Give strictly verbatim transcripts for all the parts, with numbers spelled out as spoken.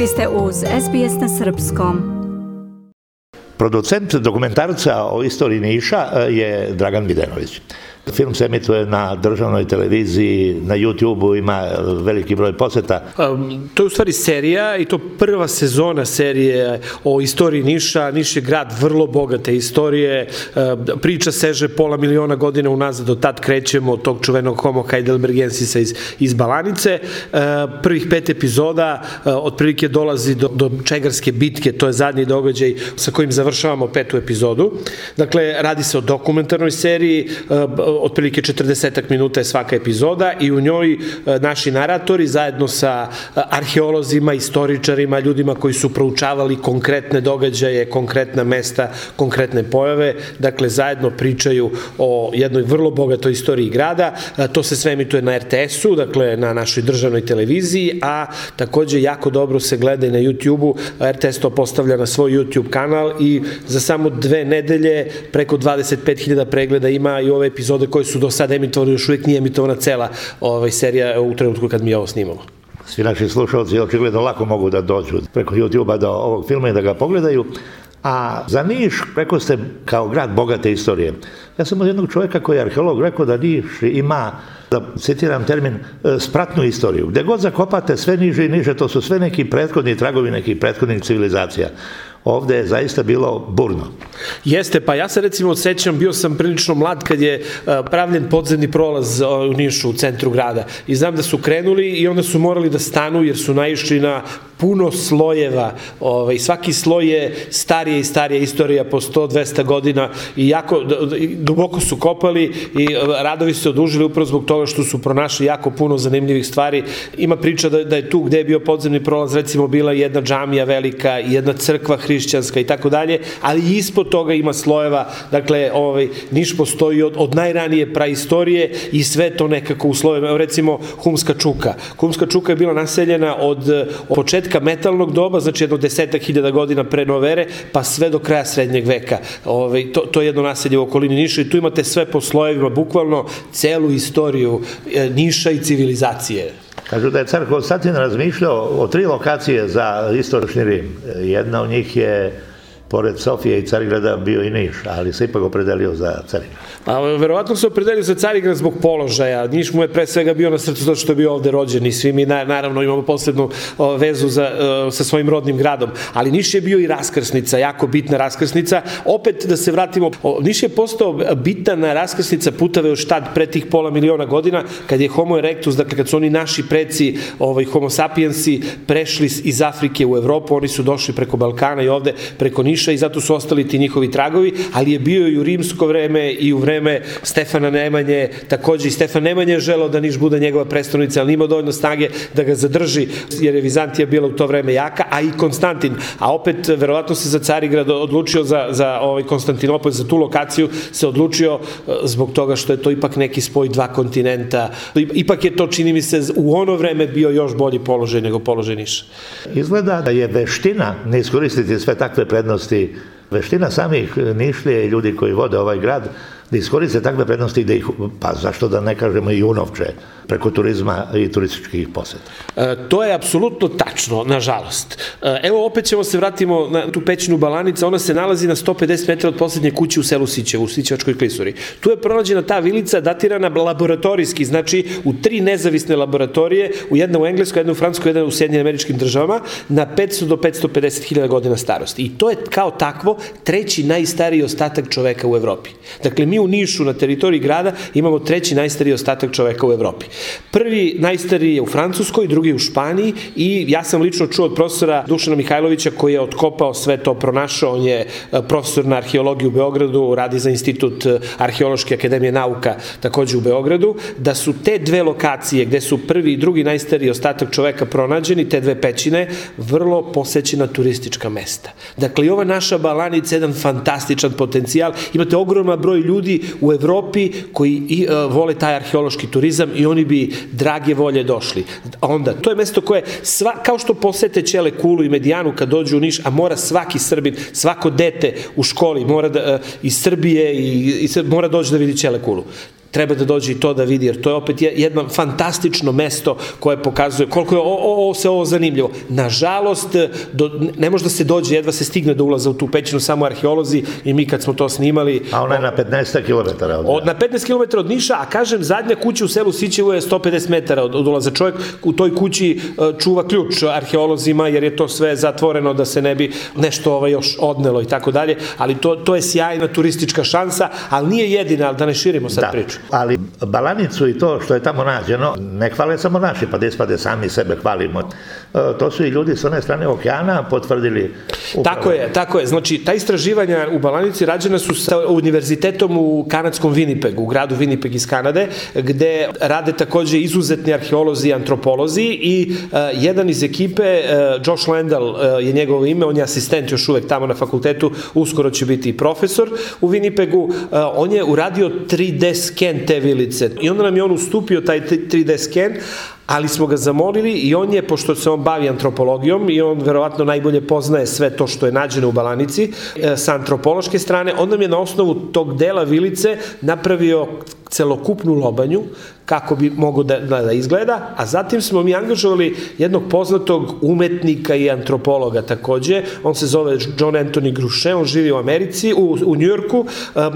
Vi ste uz S B S na srpskom. Producent dokumentarca o istoriji Niša je Dragan Videnović. Film se emituje na državnoj televiziji, na YouTube-u, ima veliki broj poseta. Um, to je u stvari serija i to prva sezona serije o istoriji Niša. Niš je grad vrlo bogate istorije. Uh, priča seže pola miliona godina unazad, od tad krećemo od tog čuvenog Homo heidelbergensisa iz, iz Balanice. Uh, prvih pet epizoda uh, otprilike dolazi do, do Čegarske bitke, to je zadnji događaj sa kojim završavamo petu epizodu. Dakle, radi se o dokumentarnoj seriji, uh, otprilike četrdesetak minuta je svaka epizoda i u njoj naši naratori zajedno sa arheolozima, istoričarima, ljudima koji su proučavali konkretne događaje, konkretna mesta, konkretne pojave, dakle zajedno pričaju o jednoj vrlo bogatoj istoriji grada. To se sve emituje na R T S-u, dakle na našoj državnoj televiziji, a takođe jako dobro se gleda i na YouTube-u. R T S to postavlja na svoj YouTube kanal i za samo dve nedelje preko dvadeset pet hiljada pregleda ima i ove epizode koje su do sada emitovane, još uvijek nije emitovana cela ovaj, serija u trenutku kad mi ovo snimamo. Svi naši slušalci očigledno lako mogu da dođu preko YouTube-a do ovog filma i da ga pogledaju. A za Niš, rekao ste, kao grad bogate istorije. Ja sam od jednog čovjeka koji je arheolog rekao da Niš ima, da citiram termin, spratnu istoriju. Gde god zakopate sve niže i niže, to su sve neki prethodni tragovi nekih prethodnih civilizacija. Ovde je zaista bilo burno. Jeste, pa ja se recimo odsećam, bio sam prilično mlad kad je pravljen podzemni prolaz u Nišu, u centru grada. I znam da su krenuli i onda su morali da stanu jer su naišli na puno slojeva. Ovaj, svaki sloj je starija i starija istorija po sto do dvesta godina i jako duboko su kopali i radovi se odužili upravo zbog toga što su pronašli jako puno zanimljivih stvari. Ima priča da, da je tu gde je bio podzemni prolaz recimo bila jedna džamija velika i jedna crkva hrišćanska i tako dalje, ali ispod toga ima slojeva. Dakle, ovaj, Niš postoji od, od najranije praistorije i sve to nekako u slojevima. Evo recimo Humska čuka. Humska čuka je bila naseljena od, od početka metalnog doba, znači jedno desetak hiljada godina pre nove ere, pa sve do kraja srednjeg veka. Ovaj, to, to je jedno naselje u okolini Niša i tu imate sve po slojevima, bukvalno celu istoriju Niša i civilizacije. Kažu da je car Konstantin razmišljao o tri lokacije za istočni Rim. Jedna od njih je, pored Sofije i Carigrada, bio i Niš, ali se ipak opredelio za Carigrad. Pa, verovatno se opredelio za Carigrad zbog položaja. Niš mu je pre svega bio na srcu zato što je bio ovde rođen i svi mi naravno imamo posebnu vezu za, sa svojim rodnim gradom. Ali Niš je bio i raskrsnica, jako bitna raskrsnica. Opet da se vratimo, Niš je postao bitna raskrsnica putave još tad pre tih pola miliona godina kad je Homo erectus, dakle kad su oni naši preci, ovaj, Homo sapiensi, prešli iz Afrike u Evropu, oni su došli preko Balkana i ovde preko Niša i zato su ostali ti njihovi tragovi, ali je bio i u rimsko vreme i u vreme Stefana Nemanje, takođe i Stefan Nemanje je želeo da Niš bude njegova prestonica, ali imao dovoljno snage da ga zadrži, jer je Vizantija bila u to vreme jaka, a i Konstantin, a opet verovatno se za Carigrad odlučio za, za ovaj Konstantinopolj, za tu lokaciju se odlučio zbog toga što je to ipak neki spoj dva kontinenta, ipak je to, čini mi se, u ono vreme bio još bolji položaj nego položaj Niša. Izgleda da je veština ne iskoristiti sve takve prednosti, veština samih Nišlije i ljudi koji vode ovaj grad, da iskoriste takve prednosti i da ih, pa zašto da ne kažemo i unovče, preko turizma i turističkih poseta. E, to je apsolutno tačno, nažalost. E, evo opet ćemo se vratimo na tu pećinu Balanica, ona se nalazi na sto pedeset metara od poslednje kuće u selu Sićevu, u Sićevačkoj klisuri. Tu je pronađena ta vilica datirana laboratorijski, znači u tri nezavisne laboratorije, u jedna u Engleskoj, jedna u Francuskoj, jedna u Sjedinjenim Američkim Državama, na petsto do petsto pedeset hiljada godina starosti. I to je kao takvo treći najstariji ostatak čoveka u Evropi. Dakle, mi u Nišu na teritoriji grada imamo treći najstariji ostatak čoveka u Evropi. Prvi najstariji je u Francuskoj, drugi je u Španiji i ja sam lično čuo od profesora Dušana Mihajlovića koji je otkopao sve to, pronašao, on je profesor na arheologiji u Beogradu, radi za Institut Arheološke akademije nauka takođe u Beogradu, da su te dve lokacije gde su prvi i drugi najstariji ostatak čoveka pronađeni, te dve pećine, vrlo posećena turistička mesta. Dakle, i ova naša Balanica je jedan fantastičan potencijal, imate ogroman broj ljudi u Evropi koji i, uh, vole taj arheološki turizam i oni bi drage volje došli. Onda, to je mesto koje, sva, kao što posete Ćele kulu i Medijanu kad dođu u Niš, a mora svaki Srbin, svako dete u školi mora da, uh, iz Srbije i, i mora doći da vidi Ćele kulu. treba da dođe i to da vidi, jer to je opet jedno fantastično mesto koje pokazuje koliko je o, o, o, se ovo zanimljivo. Nažalost, do, ne može da se dođe, jedva se stigne do ulaza u tu pećinu, samo arheolozi i mi kad smo to snimali... A ona je na petnaest kilometara od... od na petnaest kilometara od Niša, a kažem, zadnja kuća u selu Sićevo je sto pedeset metara od, od ulaza. Čovjek u toj kući čuva ključ arheolozima, jer je to sve zatvoreno da se ne bi nešto ovaj, još odnelo i tako dalje, ali to, to je sjajna turistička šansa, ali nije jedina, ali da ne širimo sad da, priču. Ali Balanicu i to što je tamo nađeno, ne hvale samo naši, pa da ispade sami sebe hvalimo. To su i ljudi s one strane okeana potvrdili. Upravo. Tako je, tako je. Znači, ta istraživanja u Balanici rađena su sa univerzitetom u kanadskom Winnipegu, u gradu Winnipeg iz Kanade, gde rade takođe izuzetni arheolozi i antropolozi i uh, jedan iz ekipe, uh, Josh Landell uh, je njegovo ime, on je asistent još uvek tamo na fakultetu, uskoro će biti i profesor u Winnipegu, uh, on je uradio tri D sken te vilice i onda nam je on ustupio taj tri D sken, ali smo ga zamolili i on je, pošto se on bavi antropologijom i on verovatno najbolje poznaje sve to što je nađeno u Balanici, sa antropološke strane, on nam je na osnovu tog dela vilice napravio celokupnu lobanju, kako bi mogo da, da, da izgleda, a zatim smo mi angažovali jednog poznatog umetnika i antropologa takođe, on se zove John Anthony Gruchet, on živi u Americi, u, u Njujorku, um,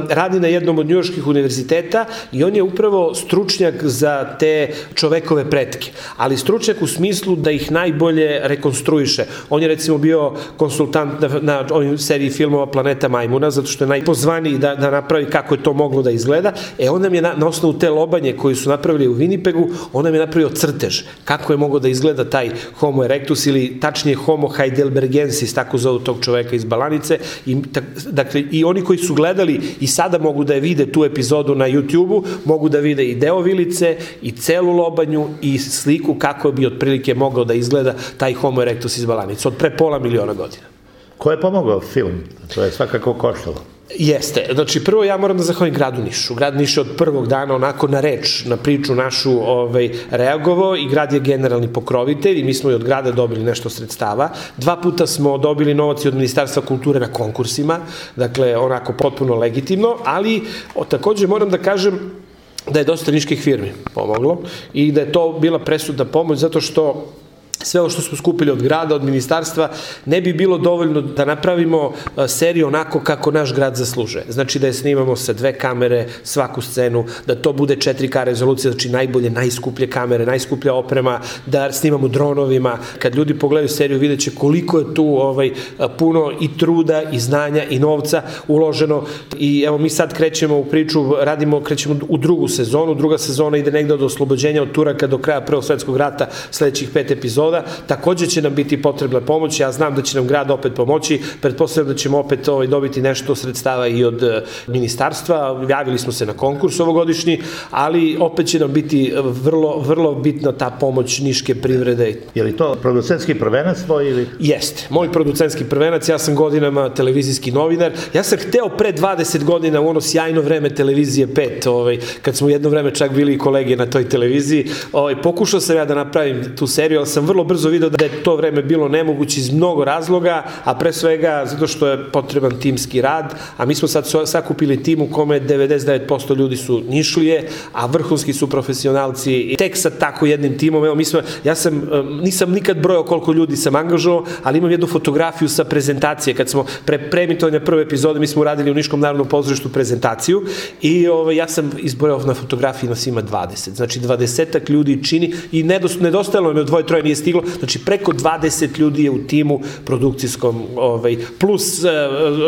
radi na jednom od njujorških univerziteta i on je upravo stručnjak za te čovekove pretke, ali stručnjak u smislu da ih najbolje rekonstruiše. On je recimo bio konsultant na, na ovoj seriji filmova Planeta majmuna, zato što je najpozvaniji da, da napravi kako je to moglo da izgleda. E, on nam je na, na osnovu te lobanje koju su napravili u Winnipegu, on nam je napravio crtež kako je mogao da izgleda taj Homo erectus ili tačnije Homo heidelbergensis, tako zovu tog čoveka iz Balanice. I, tak, dakle, i oni koji su gledali i sada mogu da je vide tu epizodu na YouTube-u, mogu da vide i deo vilice, i celu lobanju, i sliku kako bi otprilike mogao da izgleda taj Homo erectus iz Balanice, od pre pola miliona godina. Ko je pomogao film? To je svakako koštalo. Jeste. Znači, prvo ja moram da zahvalim gradu Nišu. Grad Niš je od prvog dana onako na reč, na priču našu ovaj, reagovao i grad je generalni pokrovitelj i mi smo i od grada dobili nešto sredstava. Dva puta smo dobili novac od Ministarstva kulture na konkursima, dakle, onako potpuno legitimno, ali o, takođe moram da kažem da je dosta niških firmi pomoglo i da je to bila presudna pomoć zato što sve ovo što smo skupili od grada, od ministarstva, ne bi bilo dovoljno da napravimo seriju onako kako naš grad zaslužuje. Znači da je snimamo sa dve kamere svaku scenu, da to bude četiri K rezolucija, znači najbolje, najskuplje kamere, najskuplja oprema, da snimamo dronovima. Kad ljudi pogledaju seriju, vidjet će koliko je tu ovaj, puno i truda, i znanja, i novca uloženo. I evo mi sad krećemo u priču, radimo, krećemo u drugu sezonu. Druga sezona ide negde od oslobođenja od Turaka do kraja Prvog svetskog rata, sledećih pet epizoda. Takođe će nam biti potrebna pomoć, ja znam da će nam grad opet pomoći, pretpostavljam da ćemo opet ovaj, dobiti nešto sredstava i od ministarstva, javili smo se na konkurs ovogodišnji, ali opet će nam biti vrlo, vrlo bitna ta pomoć niške privrede. Je li to producentski prvenac tvoj ili? Jeste, moj producentski prvenac, ja sam godinama televizijski novinar, ja sam hteo pre dvadeset godina u ono sjajno vreme televizije pet, ovaj, kad smo jedno vreme čak bili kolege na toj televiziji, ovaj, pokušao sam ja da napravim tu seriju, ali sam vrlo brzo video da je to vreme bilo nemoguće iz mnogo razloga, a pre svega zato što je potreban timski rad, a mi smo sad sakupili tim u kome devedeset devet posto ljudi su Nišlije, a vrhunski su profesionalci i tek sa tako jednim timom, evo mi smo, ja sam, nisam nikad brojao koliko ljudi sam angažovao, ali imam jednu fotografiju sa prezentacije, kad smo pre premitovanja prve epizode, mi smo uradili u Niškom narodnom pozorištu prezentaciju i ovaj, ja sam izbrojao na fotografiji nas ima dvadeset, znači dvadesetak ljudi čini i nedostajalo mi od dvoje, troje nije stiglo, znači preko dvadeset ljudi je u timu produkcijskom, ovaj, plus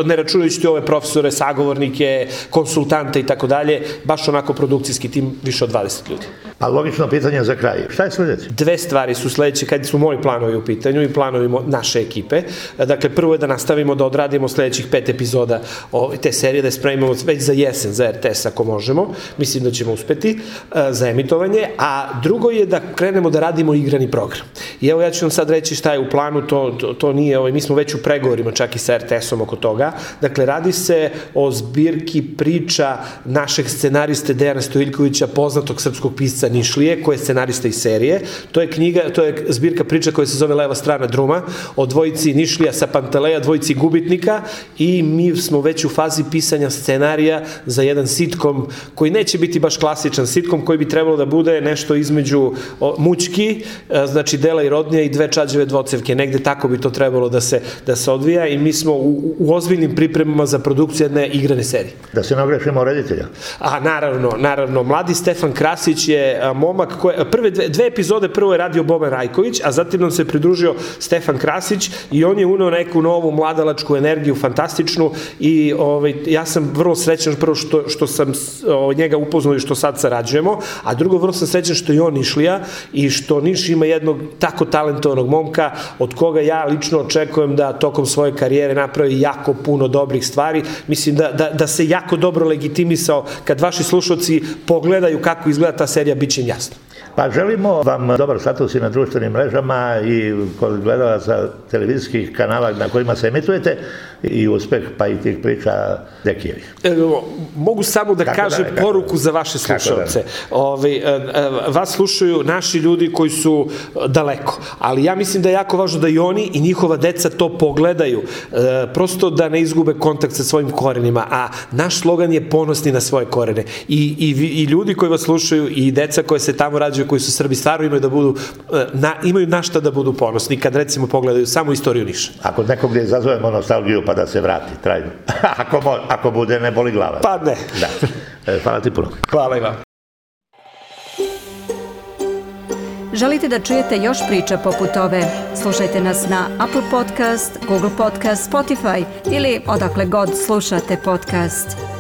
ne računajući ove profesore, sagovornike, konsultante i tako dalje, baš onako produkcijski tim više od dvadeset ljudi. A logično pitanje za kraj. Šta je sledeće? Dve stvari su sledeće, kad su moji planovi u pitanju i planovi naše ekipe. Dakle, prvo je da nastavimo da odradimo sledećih pet epizoda te serije, da je spremimo već za jesen, za R T S ako možemo. Mislim da ćemo uspeti za emitovanje. A drugo je da krenemo da radimo igrani program. I evo ja ću vam sad reći šta je u planu, to, to, to nije, ovaj, mi smo već u pregovorima čak i sa R T S-om oko toga. Dakle, radi se o zbirki priča našeg scenariste Dejana Stojiljkovića, poznatog srpskog pisca Bosa Nišlije, koji je scenarista iz serije. To je knjiga, to je zbirka priča koja se zove Leva strana druma, o dvojici Nišlija sa Panteleja, dvojici gubitnika, i mi smo već u fazi pisanja scenarija za jedan sitkom koji neće biti baš klasičan sitkom, koji bi trebalo da bude nešto između mućki, znači Dela i Rodnija i dve čađeve dvocevke, negde tako bi to trebalo da se, da se odvija, i mi smo u, u ozbiljnim pripremama za produkciju jedne igrane serije. Da se ne ogrešimo reditelja. A, naravno, naravno, mladi Stefan Krasić je a, momak koje, prve dve, dve epizode prvo je radio Boban Rajković, a zatim nam se pridružio Stefan Krasić i on je uneo neku novu mladalačku energiju, fantastičnu, i ovaj, ja sam vrlo srećan prvo što, što sam o, njega upoznao i što sad sarađujemo, a drugo vrlo sam srećan što je on Nišlija i što Niš ima jednog tako talentovanog momka od koga ja lično očekujem da tokom svoje karijere napravi jako puno dobrih stvari. Mislim da, da, da se jako dobro legitimisao. Kad vaši slušalci pogledaju kako izgleda ta serija, bit će im jasno. Pa želimo vam dobar status i na društvenim mrežama i kod gledalaca televizijskih kanala na kojima se emitujete, i uspeh pa i tih priča Dekijevih. E, mogu samo da kako kažem da, poruku da, za vaše slušalce. Da. Ove, vas slušaju naši ljudi koji su daleko, ali ja mislim da je jako važno da i oni i njihova deca to pogledaju, e, prosto da ne izgube kontakt sa svojim korenima, a naš slogan je ponosni na svoje korene. I, i, i ljudi koji vas slušaju i deca koje se tamo rađaju, koji su Srbi, stvarno imaju da budu, na, imaju na šta da budu ponosni kad recimo pogledaju samo istoriju Niša. Ako nekog gdje izazovemo nostalgiju pa da se vrati, trajno. ako, mo, ako bude, ne boli glava. Pa ne. Da. E, hvala ti puno. Hvala i vam. Želite da čujete još priča poput ove? Slušajte nas na Apple Podcast, Google Podcast, Spotify ili odakle god slušate podcast.